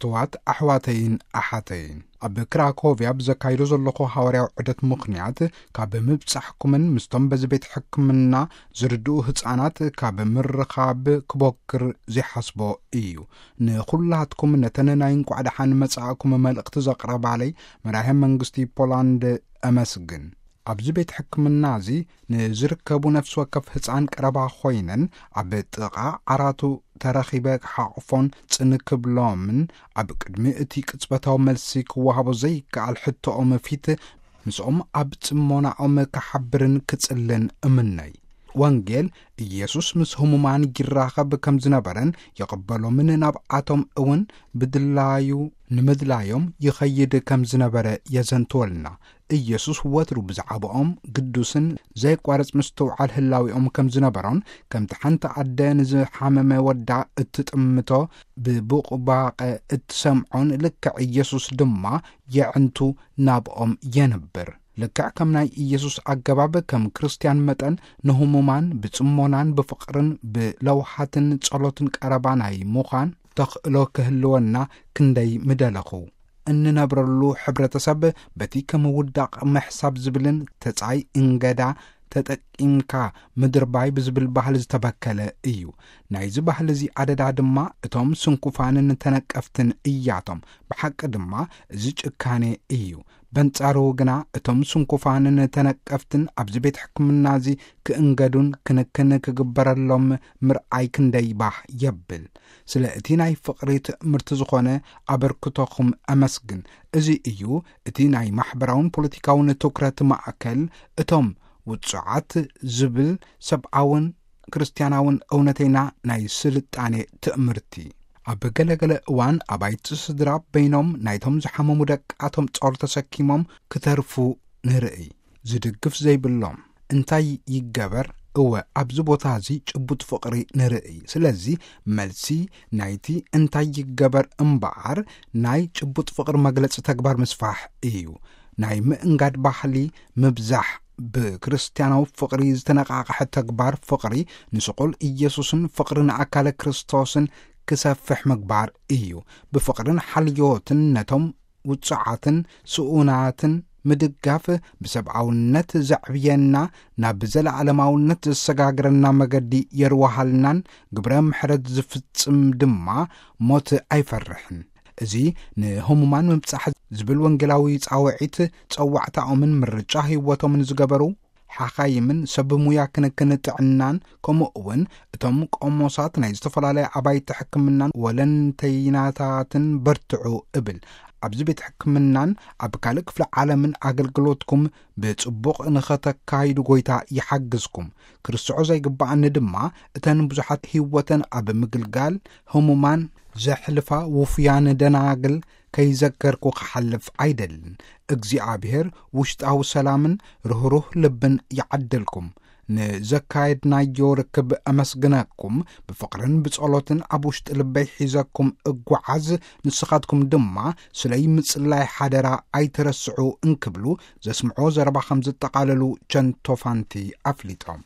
ክብርትዋት ኣሕዋተይን ኣሓተይን፣ ኣብ ክራኮቪያ ብዘካይዶ ዘለኹ ሃዋርያዊ ዑደት ምኽንያት፣ ካብ ምብጻሕኩምን ምስቶም በዚ ቤት ሕክምና ዝርድኡ ህጻናት ካብ ምርኻብ ክቦክር ዘይሓስቦ እዩ። ንኹላትኩም ነተን ናይ እንቋዕ ደሓን መጻእኩም መልእኽቲ ዘቕረባለይ መራሄ መንግስቲ ፖላንድ ኣመስግን። ኣብዚ ቤት ሕክምና እዚ ንዝርከቡ ነፍሲ ወከፍ ህጻን ቀረባ ኮይነን፣ ኣብ ጥቓ ዓራቱ ተረኺበ ክሓቕፎን ጽን ክብሎምን፣ ኣብ ቅድሚ እቲ ቅጽበታዊ መልሲ ክወሃቦ ዘይከኣል ሕቶኦም ፊት ምስኦም ኣብ ጽሞናኦም ክሓብርን ክጽልን እምነይ። ወንጌል ኢየሱስ ምስ ህሙማን ይራኸብ ከም ዝነበረን ይቕበሎምን ናብኣቶም እውን ብድላዩ ንምድላዮም ይኸይድ ከም ዝነበረ የዘንትወልና። ኢየሱስ ወትሩ ብዛዕባኦም ግዱስን ዘይቋረጽ ምስትውዓል ህላዊኦም ከም ዝነበሮን፣ ከምቲ ሓንቲ ኣደ ንዝሓመመ ወዳ እትጥምቶ ብቡቕባቐ እትሰምዖን ልክዕ ኢየሱስ ድማ የዕንቱ ናብኦም የንብር። ልክዕ ከም ናይ ኢየሱስ ኣገባብ ከም ክርስትያን መጠን ንህሙማን ብጽሞናን ብፍቕርን ብለውሃትን ጸሎትን ቀረባ ናይ ምዃን ተኽእሎ ክህልወና ክንደይ ምደለኹ። እንነብረሉ ሕብረተሰብ በቲ ከም ውዳቕ ምሕሳብ ዝብልን ተጻይ እንገዳ ተጠቂምካ ምድርባይ ብዝብል ባህሊ ዝተበከለ እዩ። ናይዚ ባህሊ እዚ ኣደዳ ድማ እቶም ስንኩፋንን ተነቀፍትን እያቶም። ብሓቂ ድማ እዚ ጭካኔ እዩ። በንጻሩ ግና እቶም ስንኩፋንን ተነቀፍትን ኣብዚ ቤት ሕክምና እዚ ክእንገዱን ክንክን ክግበረሎም ምርኣይ ክንደይ ባህ የብል። ስለ እቲ ናይ ፍቕሪ ትእምርቲ ዝኾነ ኣበርክቶኹም ኣመስግን። እዚ እዩ እቲ ናይ ማሕበራውን ፖለቲካውን ትኩረት ማእከል። እቶም ውጹዓት ዝብል ሰብኣውን ክርስትያናውን እውነተይና ናይ ስልጣኔ ትእምርቲ። ኣብ ገለገለ እዋን ኣባይቲ ስድራ በይኖም ናይቶም ዝሓመሙ ደቃቶም ጾር ተሰኪሞም ክተርፉ ንርኢ። ዝድግፍ ዘይብሎም እንታይ ይገበር? እወ፣ ኣብዚ ቦታ እዚ ጭቡጥ ፍቕሪ ንርኢ። ስለዚ መልሲ ናይቲ እንታይ ይገበር እምበኣር ናይ ጭቡጥ ፍቕሪ መግለጺ ተግባር ምስፋሕ እዩ። ናይ ምእንጋድ ባህሊ ምብዛሕ ብክርስትያናዊ ፍቕሪ ዝተነቃቕሐ ተግባር ፍቕሪ ንስቑል ኢየሱስን ፍቕሪ ንኣካለ ክርስቶስን ክሰፍሕ ምግባር እዩ። ብፍቕርን ሓልዮትን ነቶም ውጹዓትን ስኡናትን ምድጋፍ ብሰብኣውነት ዘዕብየና፣ ናብ ዘለዓለማውነት ዘሰጋግረና መገዲ የርዋሃልናን ግብረ ምሕረት ዝፍጽም ድማ ሞት ኣይፈርሕን። እዚ ንህሙማን ምብጻሕ ዝብል ወንጌላዊ ጻውዒት ጸዋዕታኦምን ምርጫ ህይወቶምን ዝገበሩ ሓኻይምን ሰብ ሙያ ክንክን ጥዕናን፣ ከምኡ እውን እቶም ቆሞሳት ናይ ዝተፈላለያ ኣባይቲ ሕክምናን ወለንተይናታትን በርትዑ እብል። ኣብዚ ቤት ሕክምናን ኣብ ካልእ ክፍለ ዓለምን ኣገልግሎትኩም ብጽቡቕ ንኸተካይዱ ጐይታ ይሓግዝኩም። ክርስዖ ዘይግብኣኒ ድማ እተን ብዙሓት ህይወተን ኣብ ምግልጋል ህሙማን ዘሕልፋ ውፉያን ደናግል ከይዘከርኩ ክሓልፍ ኣይደልን። እግዚኣብሔር ውሽጣዊ ሰላምን ርህሩህ ልብን ይዓድልኩም። ንዘካየድናዮ ርክብ ኣመስግነኩም። ብፍቕርን ብጸሎትን ኣብ ውሽጢ ልበይ ሒዘኩም እጓዓዝ። ንስኻትኩም ድማ ስለይ ምጽላይ ሓደራ ኣይትረስዑ እንክብሉ ዘስምዖ ዘረባ ከም ዝጠቓለሉ ቸንቶፋንቲ ኣፍሊጦም።